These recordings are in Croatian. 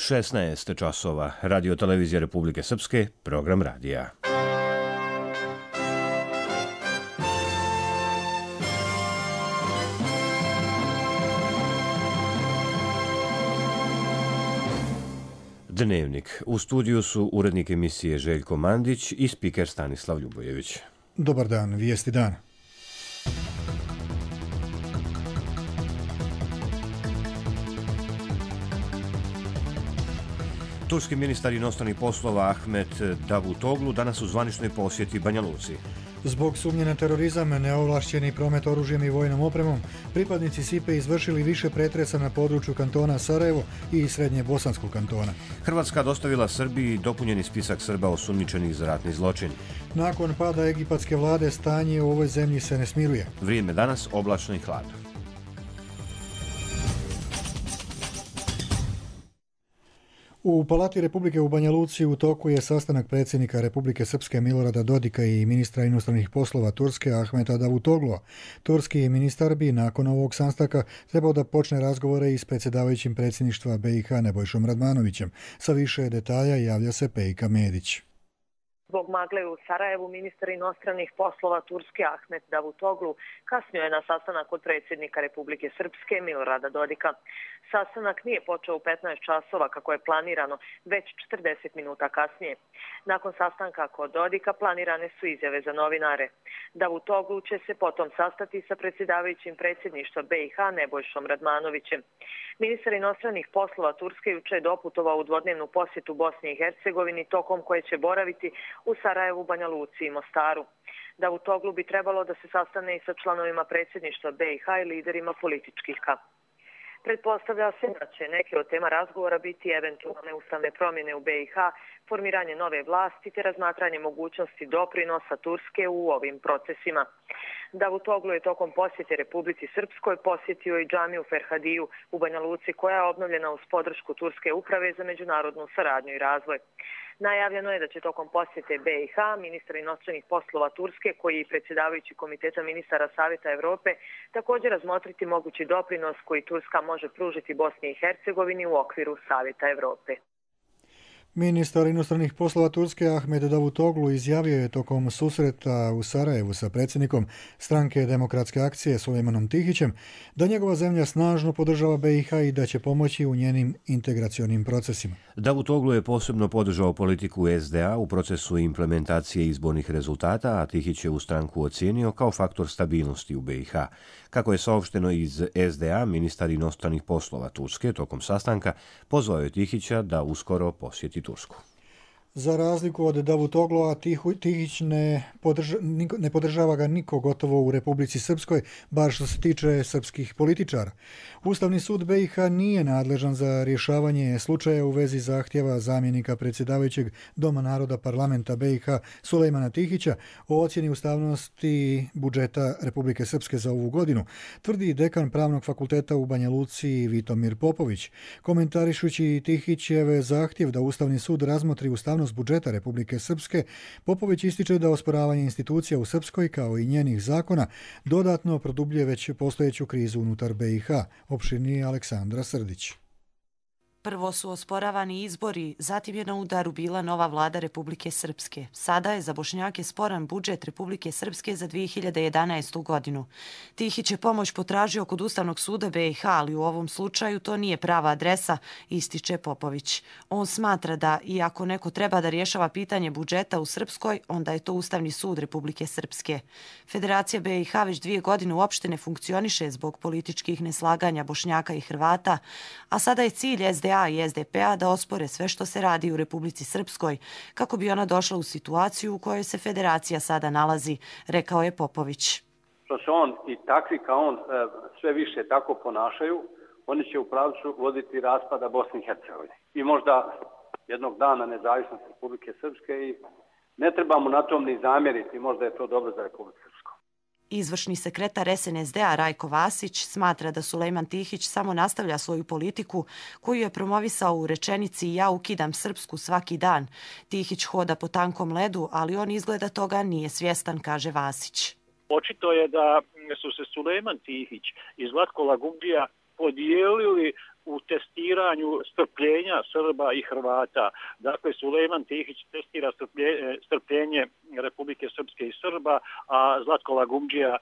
16 časova. Radio televizija Republike Srpske, program radija. Dnevnik. U studiju su urednik emisije Željko Mandić i spiker Stanislav Ljubojević. Dobar dan, vijesti dana. Turski ministar inostranih poslova Ahmet Davutoglu danas u zvaničnoj posjeti Banja Luci. Zbog sumnje na terorizam, neovlašćeni promet oružjem i vojnom opremom, pripadnici SIPE izvršili više pretresa na području kantona Sarajevo i srednje bosanskog kantona. Hrvatska dostavila Srbiji dopunjeni spisak Srba osumnjičenih za ratni zločin. Nakon pada egipatske vlade stanje u ovoj zemlji se ne smiruje. Vrijeme danas oblačno i hladno. U Palati Republike u Banja Luci u toku je sastanak predsjednika Republike Srpske Milorada Dodika i ministra inostranih poslova Turske Ahmeta Davutoglua. Turski ministar bi nakon ovog sastanka trebao da počne razgovore i s predsjedavajućim predsjedništva BiH Nebojšom Radmanovićem. Sa više detalja javlja se Pejka Medić. Zbog magle u Sarajevu, ministar inostranih poslova Turske Ahmet Davutoglu kasnio je na sastanak kod predsjednika Republike Srpske Milorada Dodika. Sastanak nije počeo u 15 časova kako je planirano, već 40 minuta kasnije. Nakon sastanka kod Dodika planirane su izjave za novinare. Davutoglu će se potom sastati sa predsjedavajućim predsjedništva BiH Nebojšom Radmanovićem. Ministar inostranih poslova Turske juče je doputovao u dvodnevnu posjetu Bosni i Hercegovini, tokom koje će boraviti u Sarajevu, Banja Luci i Mostaru. Davutoglu bi trebalo da se sastane i sa članovima predsjedništva BiH i liderima političkih ka. Pretpostavlja se da će neke od tema razgovora biti eventualne ustavne promjene u BiH, formiranje nove vlasti te razmatranje mogućnosti doprinosa Turske u ovim procesima. Davutoglu je tokom posjete Republici Srpskoj posjetio i džamiju Ferhadiju u Banja Luci, koja je obnovljena uz podršku Turske uprave za međunarodnu saradnju i razvoj. Najavljeno je da će tokom posjete BiH ministar inostranih poslova Turske, koji je predsjedavajući komiteta ministara Savjeta Evrope, također razmotriti mogući doprinos koji Turska može pružiti Bosni i Hercegovini u okviru Savjeta Evrope. Ministar inostranih poslova Turske Ahmet Davutoglu izjavio je tokom susreta u Sarajevu sa predsjednikom stranke Demokratske akcije Sulejmanom Tihićem da njegova zemlja snažno podržava BiH i da će pomoći u njenim integracionim procesima. Davutoglu je posebno podržao politiku SDA u procesu implementacije izbornih rezultata, a Tihić je u stranku ocijenio kao faktor stabilnosti u BiH. Kako je saopšteno iz SDA, ministar inostranih poslova Turske tokom sastanka pozvao je Tihića da uskoro posjeti Tursku. Za razliku od Davutoglua, Tihić ne podržava ga niko gotovo u Republici Srpskoj, bar što se tiče srpskih političara. Ustavni sud BiH nije nadležan za rješavanje slučaja u vezi zahtjeva zamjenika predsjedavajućeg Doma naroda parlamenta BiH Sulejmana Tihića o ocjeni ustavnosti budžeta Republike Srpske za ovu godinu, tvrdi dekan Pravnog fakulteta u Banja Luci Vitomir Popović. Komentarišući Tihićeve zahtjev da Ustavni sud razmotri ustavnost budžeta Republike Srpske, Popović ističe da osporavanje institucija u Srpskoj kao i njenih zakona dodatno produbljuje već postojeću krizu unutar BiH. Opširnije Aleksandra Srdić. Prvo su osporavani izbori, zatim je na udaru bila nova vlada Republike Srpske. Sada je za Bošnjake sporan budžet Republike Srpske za 2011. godinu. Tihić je pomoć potražio kod Ustavnog suda BiH, ali u ovom slučaju to nije prava adresa, ističe Popović. On smatra da, iako neko treba da rješava pitanje budžeta u Srpskoj, onda je to Ustavni sud Republike Srpske. Federacija BiH već 2 godine uopšte ne funkcioniše zbog političkih neslaganja Bošnjaka i Hrvata, a sada je cilj SDA i SDP-a da ospore sve što se radi u Republici Srpskoj, kako bi ona došla u situaciju u kojoj se federacija sada nalazi, rekao je Popović. Što se on i takvi kao on sve više tako ponašaju, oni će u pravcu voditi raspada Bosne i Hercegovine. I možda jednog dana nezavisnost Republike Srpske i ne trebamo na tom ni zamjeriti, možda je to dobro za Republiku Srpsku. Izvršni sekretar SNSD-a Rajko Vasić smatra da Sulejman Tihić samo nastavlja svoju politiku koju je promovisao u rečenici "Ja ukidam Srpsku svaki dan". Tihić hoda po tankom ledu, ali on izgleda toga nije svjestan, kaže Vasić. Očito je da su se Sulejman Tihić i Zlatko Lagumdžija podijelili u testiranju strpljenja Srba i Hrvata. Dakle, Sulejman Tihić testira strpljenje Republike Srpske i Srba, a Zlatko Lagumdžija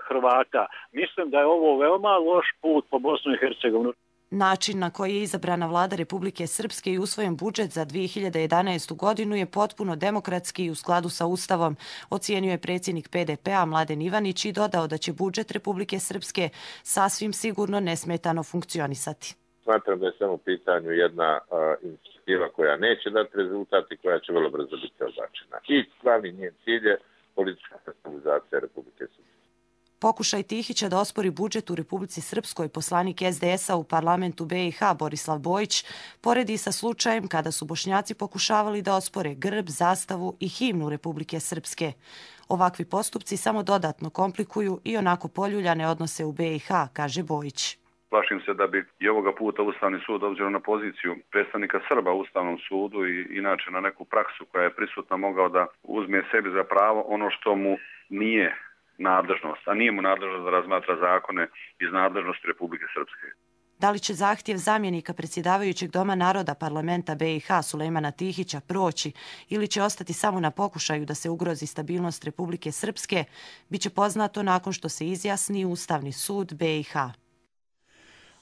Hrvata. Mislim da je ovo veoma loš put po Bosnu i Hercegovinu. Način na koji je izabrana vlada Republike Srpske i usvojen budžet za 2011. godinu je potpuno demokratski i u skladu sa Ustavom, ocijenio je predsjednik PDP-a Mladen Ivanić i dodao da će budžet Republike Srpske sasvim sigurno nesmetano funkcionisati. Smatram da je samo u pitanju jedna inicijativa koja neće dati rezultat i koja će vrlo brzo biti odbačena. I glavni njen cilj je politička stabilizacija Republike Srpske. Pokušaj Tihića da ospori budžet u Republici Srpskoj poslanik SDS-a u parlamentu BiH Borislav Bojić poredi sa slučajem kada su Bošnjaci pokušavali da ospore grb, zastavu i himnu Republike Srpske. Ovakvi postupci samo dodatno komplikuju i onako poljuljane odnose u BiH, kaže Bojić. Plašim se da bi i ovoga puta Ustavni sud, obzirom na poziciju predstavnika Srba u Ustavnom sudu i inače na neku praksu koja je prisutna, mogao da uzme sebi za pravo ono što mu nije nadležnost, a nije mu nadležnost da razmatra zakone iz nadležnosti Republike Srpske. Da li će zahtjev zamjenika predsjedavajućeg Doma naroda parlamenta BiH Sulejmana Tihića proći ili će ostati samo na pokušaju da se ugrozi stabilnost Republike Srpske, biće poznato nakon što se izjasni Ustavni sud BiH.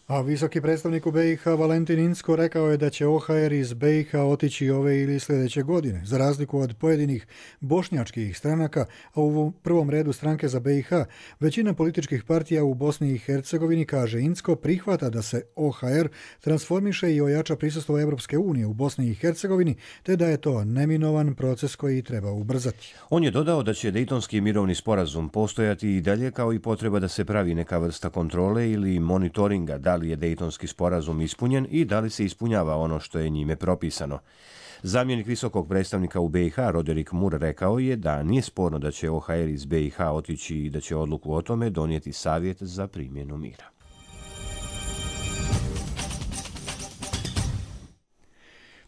A visoki predstavnik u BiH Valentin Incko rekao je da će OHR iz BiH otići ove ili sljedeće godine, za razliku od pojedinih bošnjačkih stranaka, a u prvom redu Stranke za BiH, većina političkih partija u Bosni i Hercegovini, kaže Incko, prihvata da se OHR transformiše i ojača prisustvo Evropske unije u Bosni i Hercegovini, te da je to neminovan proces koji treba ubrzati. On je dodao da će Dejtonski mirovni sporazum postojati i dalje, kao i potreba da se pravi neka vrsta kontrole ili monitoringa da li je Dejtonski sporazum ispunjen i da li se ispunjava ono što je njime propisano. Zamjenik visokog predstavnika u BiH Roderick Moore rekao je da nije sporno da će OHR iz BiH otići i da će odluku o tome donijeti Savjet za primjenu mira.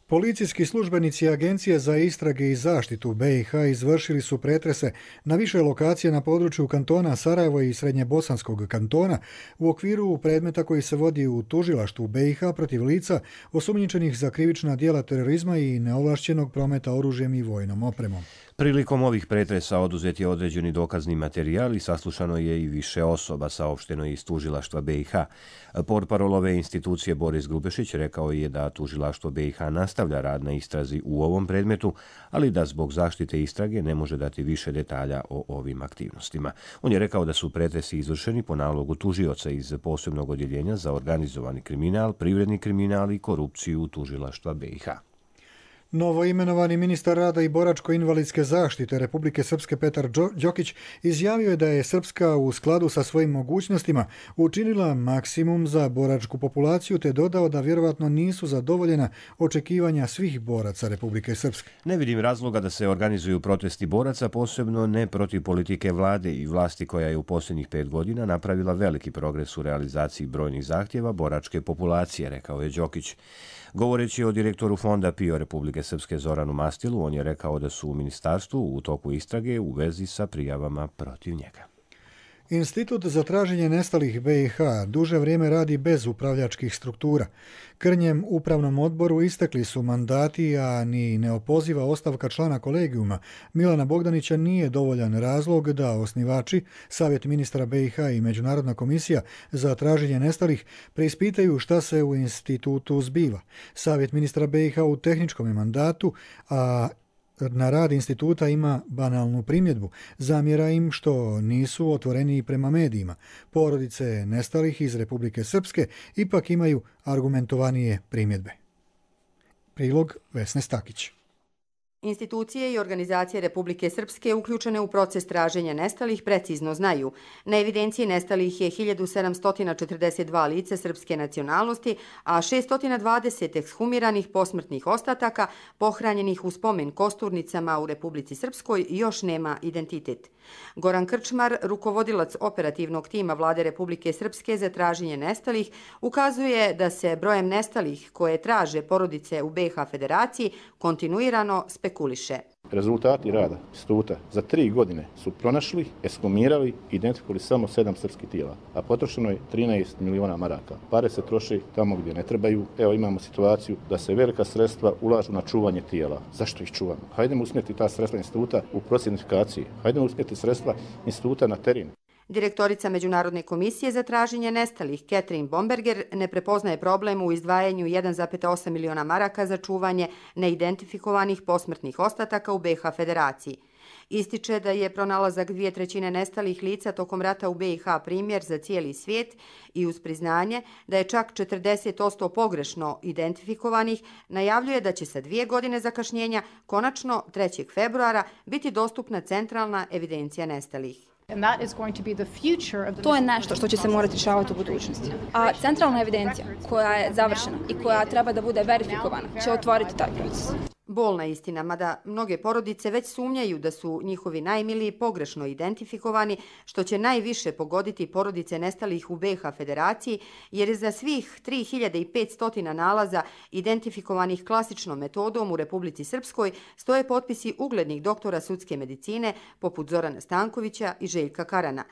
Policijski službenici Agencije za istrage i zaštitu BiH izvršili su pretrese na više lokacije na području kantona Sarajevo i Srednjebosanskog kantona u okviru predmeta koji se vodi u tužilaštvu BiH protiv lica osumnjičenih za krivična djela terorizma i neovlašćenog prometa oružjem i vojnom opremom. Prilikom ovih pretresa oduzet je određeni dokazni materijal i saslušano je i više osoba, saopšteno iz tužilaštva BiH. Portparol ove institucije Boris Grubešić rekao je da tužilaštvo BiH nastavlja rad na istrazi u ovom predmetu, ali da zbog zaštite istrage ne može dati više detalja o ovim aktivnostima. On je rekao da su pretresi izvršeni po nalogu tužioca iz posebnog odjeljenja za organizovani kriminal, privredni kriminal i korupciju tužilaštva BiH. Novoimenovani ministar rada i boračko-invalidske zaštite Republike Srpske Petar Đokić izjavio je da je Srpska u skladu sa svojim mogućnostima učinila maksimum za boračku populaciju, te dodao da vjerovatno nisu zadovoljena očekivanja svih boraca Republike Srpske. Ne vidim razloga da se organizuju protesti boraca, posebno ne protiv politike vlade i vlasti koja je u posljednjih 5 godina napravila veliki progres u realizaciji brojnih zahtjeva boračke populacije, rekao je Đokić. Govoreći o direktoru fonda PIO Republike Srpske Zoranu Mastilu, on je rekao da su u ministarstvu u toku istrage u vezi sa prijavama protiv njega. Institut za traženje nestalih BiH duže vrijeme radi bez upravljačkih struktura. Krnjem upravnom odboru istekli su mandati, a ni neopoziva ostavka člana kolegijuma Milana Bogdanića nije dovoljan razlog da osnivači, Savjet ministra BiH i Međunarodna komisija za traženje nestalih preispitaju šta se u institutu zbiva. Savjet ministra BiH u tehničkom je mandatu, a na rad instituta ima banalnu primjedbu. Zamjera im što nisu otvoreni prema medijima. Porodice nestalih iz Republike Srpske ipak imaju argumentovanije primjedbe. Prilog Vesne Stakić. Institucije i organizacije Republike Srpske uključene u proces traženja nestalih precizno znaju. Na evidenciji nestalih je 1742 lice srpske nacionalnosti, a 620 ekshumiranih posmrtnih ostataka pohranjenih u spomen kosturnicama u Republici Srpskoj još nema identitet. Goran Krčmar, rukovodilac operativnog tima Vlade Republike Srpske za traženje nestalih, ukazuje da se brojem nestalih koje traže porodice u BiH Federaciji kontinuirano spekuliše. Rezultati rada instituta za 3 godine su pronašli, ekshumirali i identifikovali samo 7 srpskih tijela, a potrošeno je 13 miliona maraka. Pare se troši tamo gdje ne trebaju. Evo imamo situaciju da se velika sredstva ulažu na čuvanje tijela. Zašto ih čuvamo? Hajdemo usmjeriti ta sredstva instituta u proces identifikacije. Hajdemo usmjeriti sredstva instituta na teren. Direktorica Međunarodne komisije za traženje nestalih, Catherine Bomberger, ne prepoznaje problem u izdvajanju 1,8 miliona maraka za čuvanje neidentifikovanih posmrtnih ostataka u BiH Federaciji. Ističe da je pronalazak 2/3 nestalih lica tokom rata u BiH primjer za cijeli svijet i uz priznanje da je čak 40% pogrešno identifikovanih, najavljuje da će sa 2 godine zakašnjenja konačno 3. februara biti dostupna centralna evidencija nestalih. To je nešto što će se morati rješavati u budućnosti. A centralna evidencija koja je završena i koja treba da bude verifikovana će otvoriti taj proces. Bolna istina, mada mnoge porodice već sumnjaju da su njihovi najmiliji pogrešno identifikovani, što će najviše pogoditi porodice nestalih u BiH Federaciji, jer je za svih 3500 nalaza identifikovanih klasičnom metodom u Republici Srpskoj stoje potpisi uglednih doktora sudske medicine poput Zorana Stankovića i Željka Karana.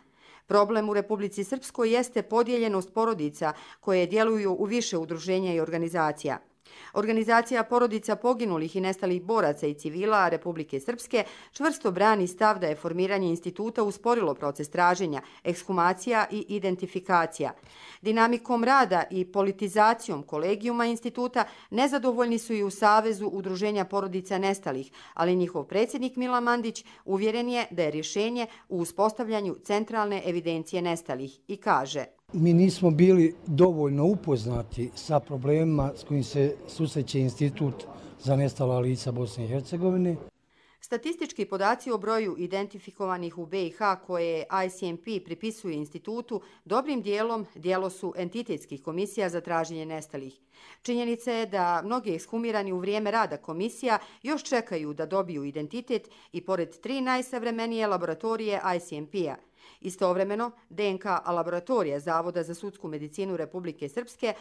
Problem u Republici Srpskoj jeste podijeljenost porodica koje djeluju u više udruženja i organizacija. Organizacija porodica poginulih i nestalih boraca i civila Republike Srpske čvrsto brani stav da je formiranje instituta usporilo proces traženja, ekshumacija i identifikacija. Dinamikom rada i politizacijom kolegijuma instituta nezadovoljni su i u Savezu udruženja porodica nestalih, ali njihov predsjednik Milan Mandić uvjeren je da je rješenje u uspostavljanju centralne evidencije nestalih i kaže: Mi nismo bili dovoljno upoznati sa problemima s kojim se susreće Institut za nestala lica Bosne i Hercegovine. Statistički podaci o broju identifikovanih u BiH koje ICMP pripisuje institutu dobrim dijelom djelo su entitetskih komisija za traženje nestalih. Činjenica je da mnogi ekshumirani u vrijeme rada komisija još čekaju da dobiju identitet i pored 3 najsavremenije laboratorije ICMP-a. Istovremeno, DNK laboratorija Zavoda za sudsku medicinu Republike Srpske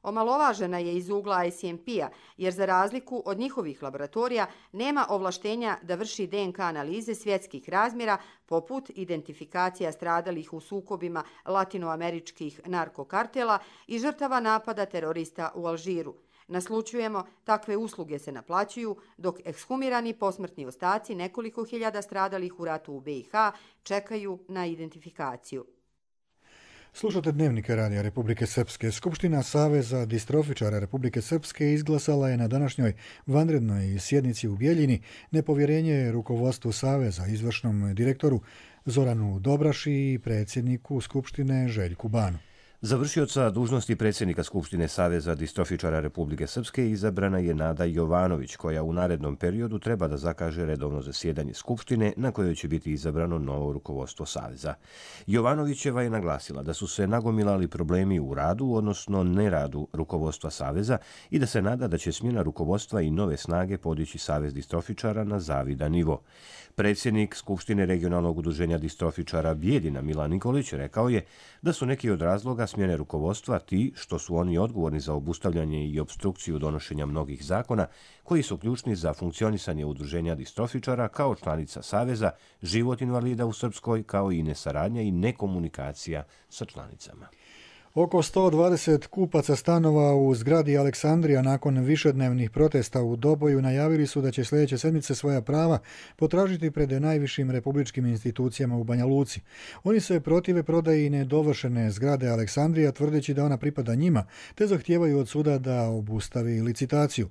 omalovažena je iz ugla ICMP-a, jer za razliku od njihovih laboratorija nema ovlaštenja da vrši DNK analize svjetskih razmjera poput identifikacija stradalih u sukobima latinoameričkih narkokartela i žrtava napada terorista u Alžiru. Naslučujemo, takve usluge se naplaćuju, dok ekshumirani posmrtni ostaci nekoliko hiljada stradalih u ratu u BiH čekaju na identifikaciju. Slušate Dnevnike Radija Republike Srpske. Skupština Saveza distrofičara Republike Srpske izglasala je na današnjoj vanrednoj sjednici u Bjeljini nepovjerenje rukovodstvu Saveza, izvršnom direktoru Zoranu Dobraši i predsjedniku Skupštine Željku Banu. Završioca dužnosti predsjednika Skupštine Saveza distrofičara Republike Srpske izabrana je Nada Jovanović, koja u narednom periodu treba da zakaže redovno zasjedanje Skupštine na kojoj će biti izabrano novo rukovodstvo Saveza. Jovanovićeva je naglasila da su se nagomilali problemi u radu, odnosno neradu rukovodstva Saveza i da se nada da će smjena rukovodstva i nove snage podići Savez distrofičara na zavidan nivo. Predsjednik Skupštine regionalnog udruženja distrofičara Bijeljina Milan Nikolić rekao je da su neki od razloga smjene rukovodstva ti što su oni odgovorni za obustavljanje i obstrukciju donošenja mnogih zakona koji su ključni za funkcionisanje udruženja distrofičara kao članica Saveza, život invalida u Srpskoj kao i nesaradnja i nekomunikacija sa članicama. Oko 120 kupaca stanova u zgradi Aleksandrija nakon višednevnih protesta u Doboju najavili su da će sljedeće sedmice svoja prava potražiti pred najvišim republičkim institucijama u Banja Luci. Oni se protive prodaji nedovršene zgrade Aleksandrija tvrdeći da ona pripada njima, te zahtijevaju od suda da obustavi licitaciju.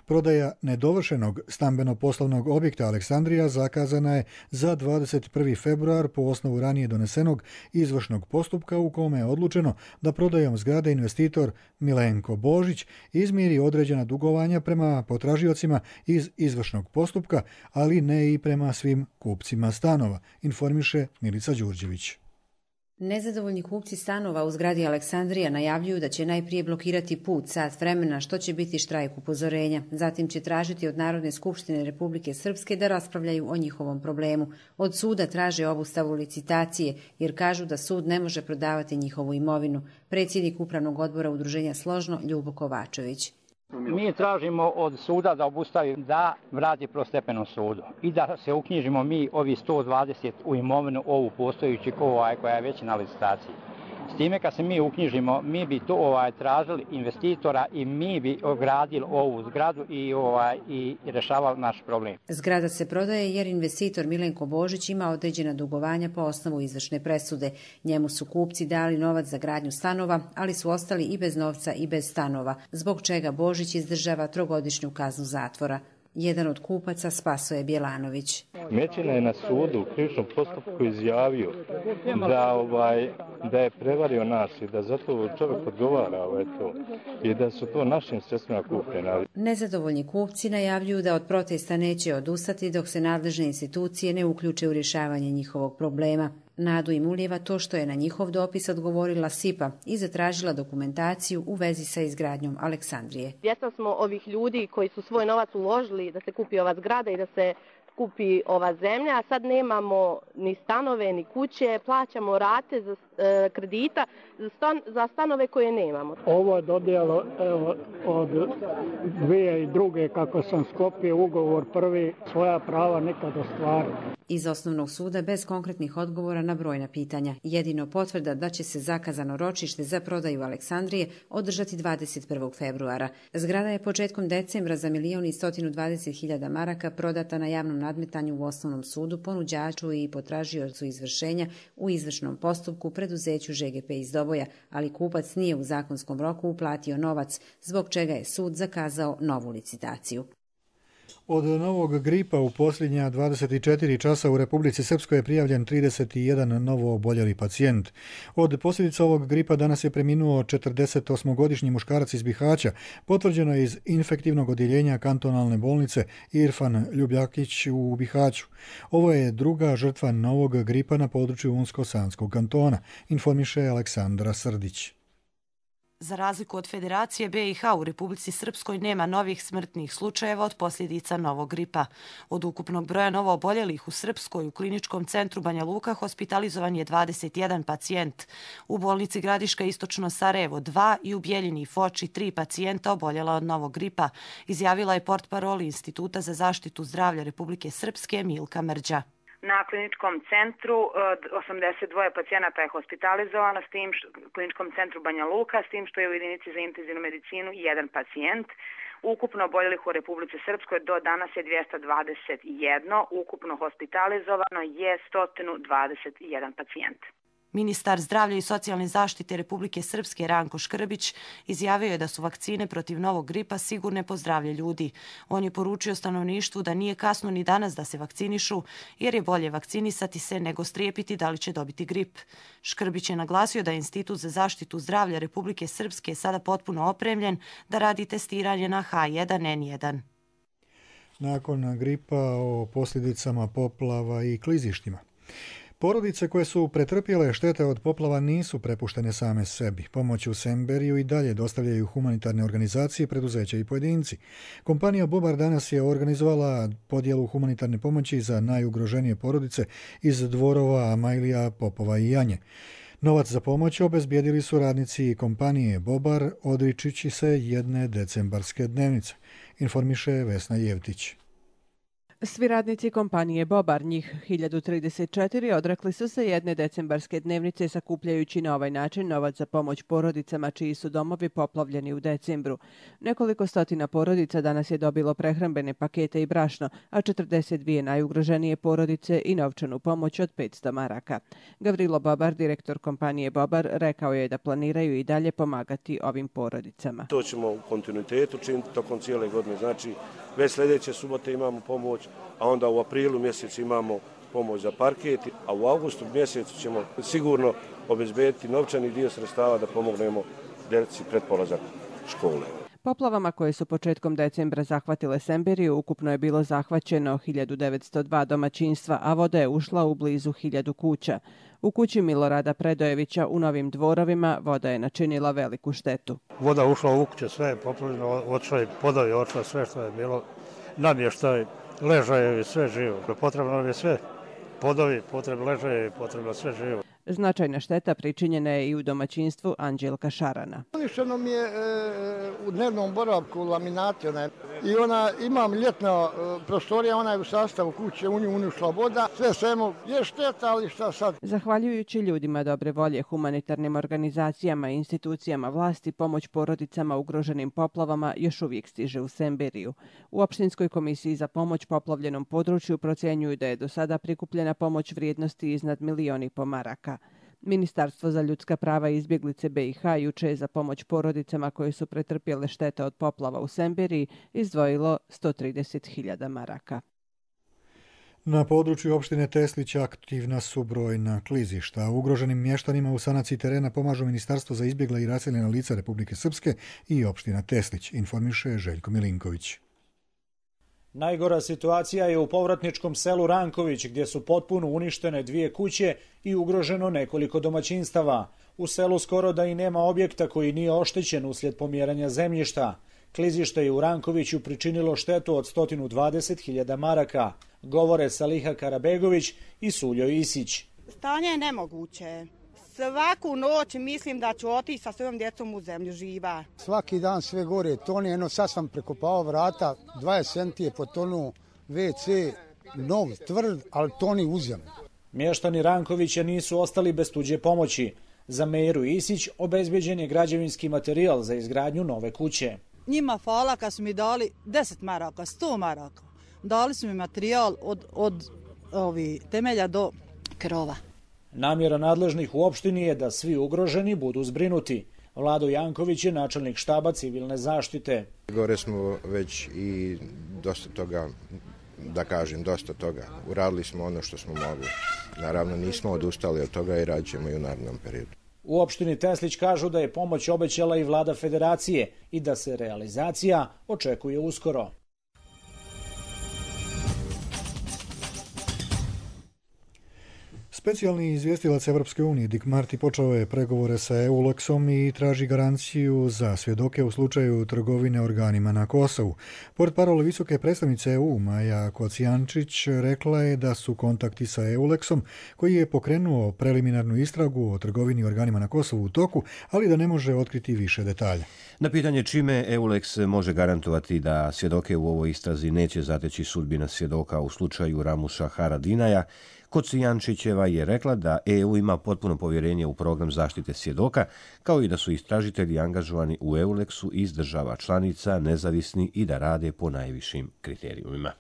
Prodaja nedovršenog stambeno-poslovnog objekta Aleksandrija zakazana je za 21. februar po osnovu ranije donesenog izvršnog postupka u kome je odlučeno da prodajom zgrade investitor Milenko Božić izmiri određena dugovanja prema potražiocima iz izvršnog postupka, ali ne i prema svim kupcima stanova, informiše Milica Đurđević. Nezadovoljni kupci stanova u zgradi Aleksandrija najavljuju da će najprije blokirati put sat vremena, što će biti štrajk upozorenja. Zatim će tražiti od Narodne skupštine Republike Srpske da raspravljaju o njihovom problemu. Od suda traže obustavu licitacije, jer kažu da sud ne može prodavati njihovu imovinu. Predsjednik Upravnog odbora udruženja Složno Ljubo Kovačević. Mi tražimo od suda da obustavi, da vrati prvostepenom sudu i da se uknjižimo mi ovi 120 u imovinu ovu postojući koja je već na licitaciji. S time kad se mi uknjižimo, mi bi to tražili investitora i mi bi ogradili ovu zgradu i rešavali naš problem. Zgrada se prodaje jer investitor Milenko Božić ima određena dugovanja po osnovu izvršne presude. Njemu su kupci dali novac za gradnju stanova, ali su ostali i bez novca i bez stanova, zbog čega Božić izdržava 3-godišnju kaznu zatvora. Jedan od kupaca Spasoje Bjelanović. Mećina je na sudu u krivičnom postupku izjavio da je prevario nas i da zato čovjek odgovara i da su to našim sredstvima kupljena. Nezadovoljni kupci najavljuju da od protesta neće odustati dok se nadležne institucije ne uključe u rješavanje njihovog problema. Nadu im ulijeva to što je na njihov dopis odgovorila SIPA i zatražila dokumentaciju u vezi sa izgradnjom Aleksandrije. Svjesni smo ovih ljudi koji su svoj novac uložili da se kupi ova zgrada i da se kupi ova zemlja, a sad nemamo ni stanove, ni kuće, plaćamo rate za kredita za stanove koje nemamo. Ovo je dodjelo od 2002. kako sam sklopio ugovor prvi, svoja prava nikad ostvario. Iz osnovnog suda bez konkretnih odgovora na brojna pitanja. Jedino potvrda da će se zakazano ročište za prodaju Aleksandrije održati 21. februara. Zgrada je početkom decembra za 1.120.000 maraka prodata na javnom nadmetanju u osnovnom sudu ponuđaču i potražiocu izvršenja u izvršnom postupku preduzeću ŽGP iz Doboja, ali kupac nije u zakonskom roku uplatio novac, zbog čega je sud zakazao novu licitaciju. Od novog gripa u posljednja 24 časa u Republici Srpskoj je prijavljen 31 novo oboljeli pacijent. Od posljedica ovog gripa danas je preminuo 48-godišnji muškarac iz Bihaća, potvrđeno je iz infektivnog odjeljenja kantonalne bolnice Irfan Ljubljakić u Bihaću. Ovo je druga žrtva novog gripa na području Unsko-Sanskog kantona, informiše Aleksandra Srdić. Za razliku od Federacije BiH, u Republici Srpskoj nema novih smrtnih slučajeva od posljedica novog gripa. Od ukupnog broja novooboljelih u Srpskoj u kliničkom centru Banja Luka hospitalizovan je 21 pacijent. U bolnici Gradiška Istočno Sarajevo 2 i u Bjeljini i Foči 3 pacijenta oboljela od novog gripa, izjavila je portparol Instituta za zaštitu zdravlja Republike Srpske Milka Mrđa. Na kliničkom centru 82 pacijenata je hospitalizovano, s tim kliničkom centru Banja Luka, s tim što je u jedinici za intenzivnu medicinu 1 pacijent. Ukupno oboljelih u Republici Srpskoj do danas je 221, ukupno hospitalizovano je 121 pacijent. Ministar zdravlja i socijalne zaštite Republike Srpske Ranko Škrbić izjavio je da su vakcine protiv novog gripa sigurne po zdravlje ljudi. On je poručio stanovništvu da nije kasno ni danas da se vakcinišu, jer je bolje vakcinisati se nego strijepiti da li će dobiti grip. Škrbić je naglasio da je Institut za zaštitu zdravlja Republike Srpske sada potpuno opremljen da radi testiranje na H1N1. Nakon gripa o posljedicama poplava i klizištima. Porodice koje su pretrpjele štete od poplava nisu prepuštene same sebi. Pomoć u Semberiju i dalje dostavljaju humanitarne organizacije, preduzeća i pojedinci. Kompanija Bobar danas je organizovala podjelu humanitarne pomoći za najugroženije porodice iz dvorova Amajlija, Popova i Janje. Novac za pomoć obezbijedili su radnici kompanije Bobar, odričući se jedne decembarske dnevnice, informiše Vesna Jevtić. Svi radnici kompanije Bobar, njih 1034, odrekli su se jedne decembarske dnevnice sakupljajući na ovaj način novac za pomoć porodicama čiji su domovi poplavljeni u decembru. Nekoliko stotina porodica danas je dobilo prehrambene pakete i brašno, a 42 najugroženije porodice i novčanu pomoć od 500 maraka. Gavrilo Bobar, direktor kompanije Bobar, rekao je da planiraju i dalje pomagati ovim porodicama. To ćemo u kontinuitetu činiti tokom cijele godine. Znači, već sljedeće subote imamo pomoć, a onda u aprilu mjesecu imamo pomoć za parket, a u augustu mjesecu ćemo sigurno obezbediti novčani dio sredstava da pomognemo djeci pred polazak škole. Poplavama koje su početkom decembra zahvatile Semberiju ukupno je bilo zahvaćeno 1902 domaćinstva, a voda je ušla u blizu 1000 kuća. U kući Milorada Predojevića u Novim Dvorovima voda je načinila veliku štetu. Voda ušla u kuće, sve je poplavljeno, otišla je podovi, otišla sve što je bilo, namještaj, ležajevi, sve živo. Potrebno nam je sve, podovi, potrebno ležajevi, potrebno sve živo. Značajna šteta pričinjena je i u domaćinstvu Anđelka Šarana. Uništeno mi je u dnevnom boravku laminati i imam ljetna prostorija, ona je u sastavu kuće, u nju unišla voda, sve svemu je šteta, ali šta sad? Zahvaljujući ljudima dobre volje, humanitarnim organizacijama i institucijama vlasti, pomoć porodicama ugroženim poplavama još uvijek stiže u Semberiju. U Opštinskoj komisiji za pomoć poplavljenom području procenjuju da je do sada prikupljena pomoć vrijednosti iznad 1,5 miliona maraka. Ministarstvo za ljudska prava i izbjeglice BiH juče je za pomoć porodicama koje su pretrpjele štete od poplava u Semberiji izdvojilo 130.000 maraka. Na području opštine Teslić aktivna su brojna klizišta. Ugroženim mještanima u sanaciji terena pomažu Ministarstvo za izbjegla i raseljena lica Republike Srpske i opština Teslić, informiše Željko Milinković. Najgora situacija je u povratničkom selu Ranković, gdje su potpuno uništene 2 kuće i ugroženo nekoliko domaćinstava. U selu skoro da i nema objekta koji nije oštećen uslijed pomjeranja zemljišta. Klizište je u Rankoviću pričinilo štetu od 120.000 maraka, govore Saliha Karabegović i Suljo Isić. Stanje je nemoguće. Svaku noć mislim da ću otići sa svojom djecom u zemlju živa. Svaki dan sve gore tone, sad sam prekopao vrata, 20 cm je potonuo, WC, nov, tvrd, ali toni u zemlju. Mještani Rankovića nisu ostali bez tuđe pomoći. Za Meru Isić obezbeđen je građevinski materijal za izgradnju nove kuće. Njima hvala kad su mi dali 10 maraka, 100 maraka. Dali su mi materijal od temelja do krova. Namjera nadležnih u opštini je da svi ugroženi budu zbrinuti. Vlado Janković je načelnik štaba civilne zaštite. Gore smo već i dosta toga. Uradili smo ono što smo mogli. Naravno nismo odustali od toga i radit ćemo i u narednom periodu. U opštini Teslić kažu da je pomoć obećala i vlada federacije i da se realizacija očekuje uskoro. Specijalni izvjestilac Evropske unije Dick Marty počeo je pregovore sa EULEX-om i traži garanciju za svjedoke u slučaju trgovine organima na Kosovu. Pored parole visoke predstavnice EU Maja Kocijančić rekla je da su kontakti sa EULEX-om, koji je pokrenuo preliminarnu istragu o trgovini organima na Kosovu u toku, ali da ne može otkriti više detalja. Na pitanje čime EULEX može garantovati da svjedoke u ovoj istrazi neće zateći sudbina svjedoka u slučaju Ramuša Haradinaja, Kocijančićeva je rekla da EU ima potpuno povjerenje u program zaštite svjedoka, kao i da su istražitelji angažovani u EULEX-u iz država članica, nezavisni i da rade po najvišim kriterijumima.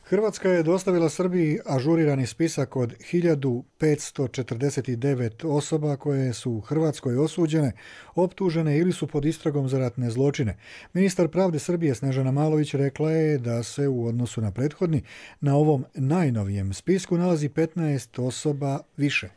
Hrvatska je dostavila Srbiji ažurirani spisak od 1549 osoba koje su u Hrvatskoj osuđene, optužene ili su pod istragom za ratne zločine. Ministar pravde Srbije Snežana Malović rekla je da se u odnosu na prethodni na ovom najnovijem spisku nalazi 15 osoba više.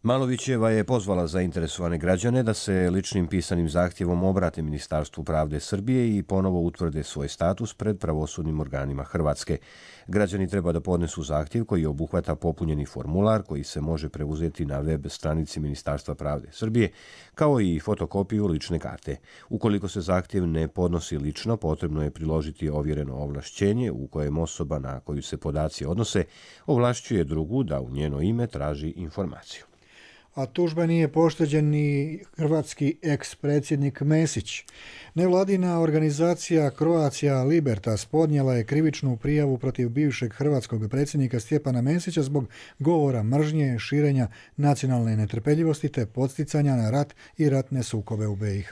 Malovićeva je pozvala zainteresovane građane da se ličnim pisanim zahtjevom obrate Ministarstvu pravde Srbije i ponovo utvrde svoj status pred pravosudnim organima Hrvatske. Građani treba da podnesu zahtjev koji obuhvata popunjeni formular koji se može preuzeti na web stranici Ministarstva pravde Srbije, kao i fotokopiju lične karte. Ukoliko se zahtjev ne podnosi lično, potrebno je priložiti ovjereno ovlašćenje u kojem osoba na koju se podaci odnose ovlašćuje drugu da u njeno ime traži informaciju. A tužba nije pošteđen ni hrvatski eks-predsjednik Mesić. Nevladina organizacija Croatia Libertas podnijela je krivičnu prijavu protiv bivšeg hrvatskog predsjednika Stjepana Mesića zbog govora mržnje, širenja nacionalne netrpeljivosti te podsticanja na rat i ratne sukobe u BiH.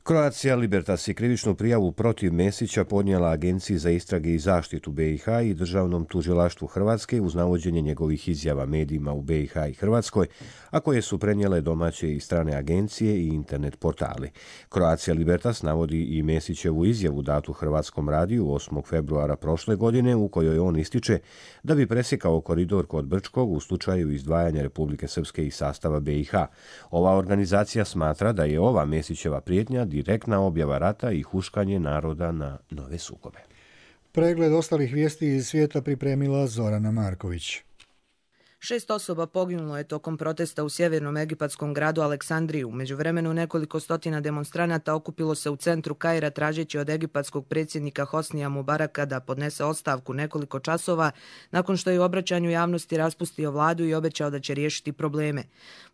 Croatia Libertas je krivičnu prijavu protiv Mesića podnijela Agenciji za istrage i zaštitu BiH i Državnom tužilaštvu Hrvatske uz navođenje njegovih izjava medijima u BiH i Hrvatskoj, a koje su prenijele domaće i strane agencije i internet portali. Croatia Libertas navodi i Mesićevu izjavu datu Hrvatskom radiju 8. februara prošle godine u kojoj on ističe da bi presjekao koridor kod Brčkog u slučaju izdvajanja Republike Srpske iz sastava BiH. Ova organizacija smatra da je ova Mesićeva prijetnja direktna objava rata i huškanje naroda na nove sukobe. Pregled ostalih vijesti iz svijeta pripremila Zorana Marković. 6 osoba poginulo je tokom protesta u sjevernom egipatskom gradu Aleksandriju. U međuvremenu nekoliko stotina demonstranata okupilo se u centru Kaira tražeći od egipatskog predsjednika Hosnija Mubaraka da podnese ostavku nekoliko časova nakon što je u obraćanju javnosti raspustio vladu i obećao da će riješiti probleme.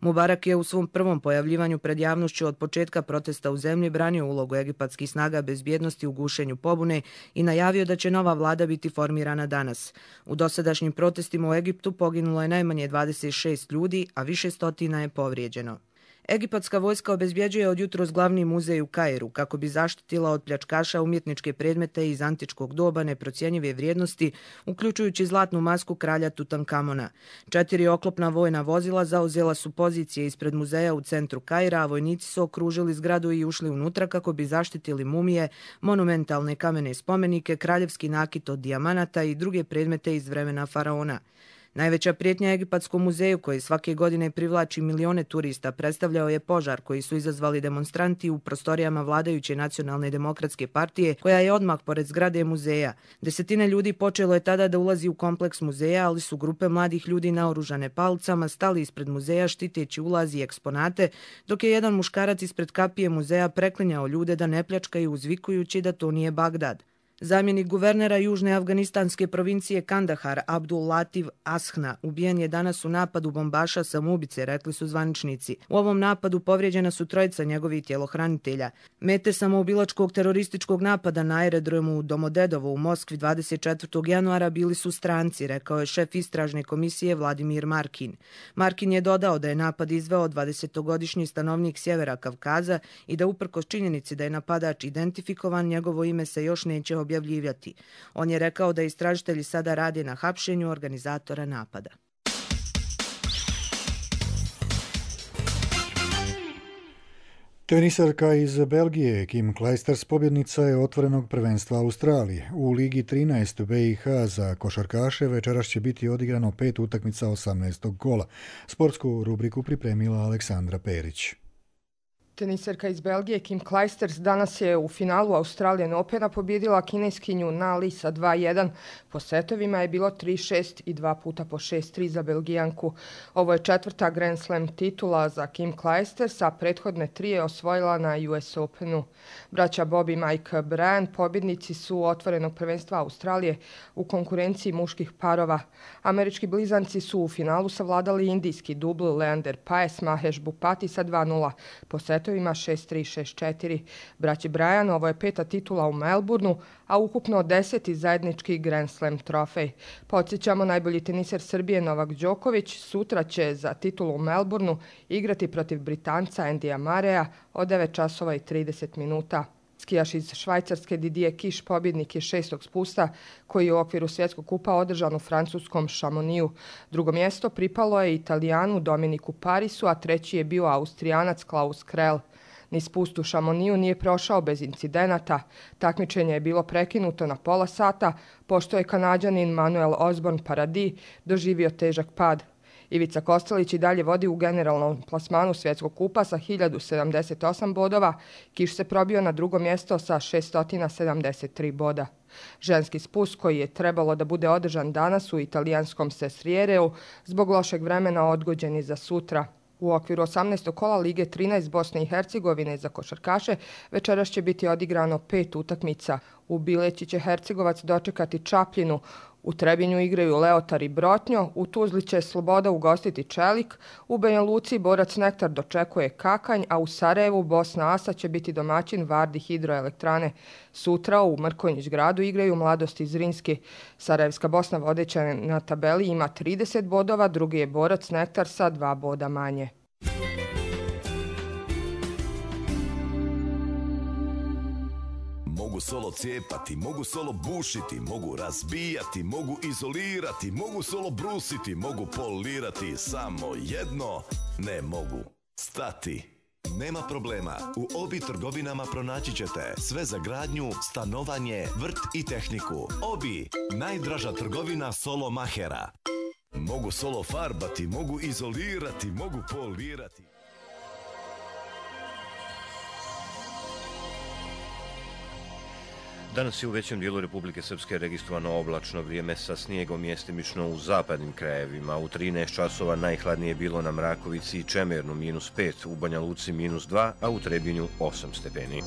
Mubarak je u svom prvom pojavljivanju pred javnošću od početka protesta u zemlji branio ulogu egipatskih snaga bezbjednosti u gušenju pobune i najavio da će nova vlada biti formirana danas. U dosadašnjim protestima u Egiptu poginulo je najmanje 26 ljudi, a više stotina je povrijeđeno. Egipatska vojska obezbjeđuje od jutros glavni muzej u Kairu kako bi zaštitila od pljačkaša umjetničke predmete iz antičkog doba neprocjenjive vrijednosti, uključujući zlatnu masku kralja Tutankamona. 4 oklopna vojna vozila zauzela su pozicije ispred muzeja u centru Kaira, a vojnici su okružili zgradu i ušli unutra kako bi zaštitili mumije, monumentalne kamene spomenike, kraljevski nakit od dijamanata i druge predmete iz vremena faraona. Najveća prijetnja Egipatskom muzeju, koji svake godine privlači milione turista, predstavljao je požar koji su izazvali demonstranti u prostorijama vladajuće Nacionalne demokratske partije, koja je odmah pored zgrade muzeja. Desetine ljudi počelo je tada da ulazi u kompleks muzeja, ali su grupe mladih ljudi naoružane palicama stali ispred muzeja štiteći ulaz i eksponate, dok je jedan muškarac ispred kapije muzeja preklinjao ljude da ne pljačkaju uzvikujući da to nije Bagdad. Zamjenik guvernera južne afganistanske provincije Kandahar Abdul Latif Ashna ubijen je danas u napadu bombaša samoubice, rekli su zvaničnici. U ovom napadu povrijeđena su 3 njegovih tjelohranitelja. Mete samoubilačkog terorističkog napada na aerodromu Domodedovo u Moskvi 24. januara bili su stranci, rekao je šef istražne komisije Vladimir Markin. Markin je dodao da je napad izveo 20-godišnji stanovnik sjevera Kavkaza i da uprkos činjenici da je napadač identifikovan, njegovo ime se još neće objavljivati. On je rekao da istražitelji sada rade na hapšenju organizatora napada. Tenisarka iz Belgije Kim Clijsters pobjednica je otvorenog prvenstva Australije. U Ligi 13 BiH za košarkaše večeras će biti odigrano 5 utakmica 18. kola. Sportsku rubriku pripremila Aleksandra Perić. Tenisarka iz Belgije Kim Clijsters danas je u finalu Australian Opena pobjedila kineskinju Na Li sa 2-1. Po setovima je bilo 3-6 i 2 puta po 6-3 za Belgijanku. Ovo je 4. Grand Slam titula za Kim Clijsters, a prethodne 3 je osvojila na US Openu. Braća Bob i Mike Bryan pobjednici su otvorenog prvenstva Australije u konkurenciji muških parova. Američki blizanci su u finalu savladali indijski dubl Leander Paes Mahesh Bhupathi sa 2-0. Po setovima 6-3, 6-4. Braći Bryan, ovo je 5. titula u Melbourneu, a ukupno 10. zajednički Grand Slam trofej. Podsjećamo, najbolji teniser Srbije Novak Đoković sutra će za titulu u Melbourneu igrati protiv Britanca Andyja Murraya od 9:30 minuta. Skijaš iz Švajcarske Didier Kiš pobjednik je 6. spusta koji je u okviru svjetskog kupa održan u francuskom Chamonixu. Drugo mjesto pripalo je Italijanu Dominiku Parisu, a 3. je bio Austrijanac Klaus Krell. Ni spust u Chamonixu nije prošao bez incidenata. Takmičenje je bilo prekinuto na pola sata, pošto je Kanađanin Manuel Osborne Paradis doživio težak pad. Ivica Kostelić i dalje vodi u generalnom plasmanu svjetskog kupa sa 1078 bodova. Kiš se probio na drugo mjesto sa 673 boda. Ženski spust koji je trebalo da bude održan danas u italijanskom Sesriereu zbog lošeg vremena odgođen je za sutra. U okviru 18. kola Lige 13 Bosne i Hercegovine za košarkaše večeras će biti odigrano 5 utakmica. U Bileći će Hercegovac dočekati Čapljinu, u Trebinju igraju Leotar i Brotnjo, u Tuzli će Sloboda ugostiti Čelik, u Banja Luci Borac Nektar dočekuje Kakanj, a u Sarajevu Bosna Asa će biti domaćin Vardi hidroelektrane. Sutra u Mrkonjić gradu igraju Mladost iz Zrinski. Sarajevska Bosna vodeća na tabeli ima 30 bodova, drugi je Borac Nektar sa 2 boda manje. Mogu solo cijepati, mogu solo bušiti, mogu razbijati, mogu izolirati, mogu solo brusiti, mogu polirati, samo jedno ne mogu stati. Nema problema, u Obi trgovinama pronaći ćete sve za gradnju, stanovanje, vrt i tehniku. Obi, najdraža trgovina solo mahera. Mogu solo farbati, mogu izolirati, mogu polirati. Danas je u većem dijelu Republike Srpske registrovano oblačno vrijeme sa snijegom mjestimično u zapadnim krajevima. U 13 časova najhladnije je bilo na Mrakovici i Čemernu -5, u Banja Luci -2, a u Trebinju 8 stepeni.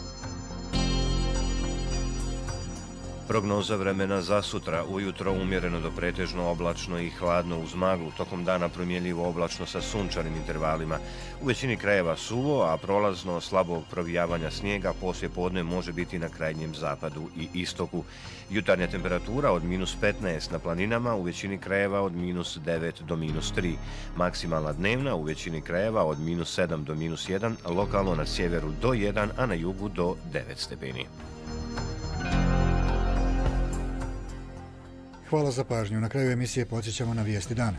Prognoza vremena za sutra. Ujutro umjereno do pretežno oblačno i hladno uz maglu, tokom dana promjenljivo oblačno sa sunčanim intervalima. U većini krajeva suvo, a prolazno slabog provijavanja snijega poslije podne može biti na krajnjem zapadu i istoku. Jutarnja temperatura od -15 na planinama, u većini krajeva od -9 do -3. Maksimalna dnevna u većini krajeva od -7 do -1, lokalno na sjeveru do 1, a na jugu do 9 stepeni. Hvala za pažnju. Na kraju emisije podsjećamo na vijesti dana.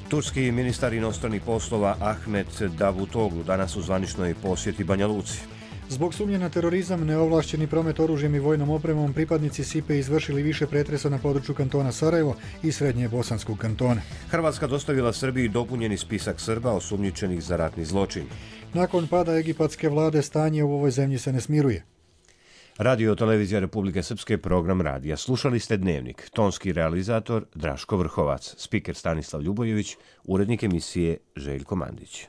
Turski ministar inostranih poslova Ahmet Davutoglu danas u zvaničnoj posjeti Banja Luci. Zbog sumnje na terorizam, neovlašćeni promet oružjem i vojnom opremom, pripadnici SIPE izvršili više pretresa na području kantona Sarajevo i srednje bosanskog kantona. Hrvatska dostavila Srbiji dopunjeni spisak Srba osumnjičenih za ratni zločin. Nakon pada egipatske vlade stanje u ovoj zemlji se ne smiruje. Radio Televizija Republike Srpske, program radija. Slušali ste Dnevnik. Tonski realizator Draško Vrhovac, spiker Stanislav Ljubojević, urednik emisije Željko Mandić.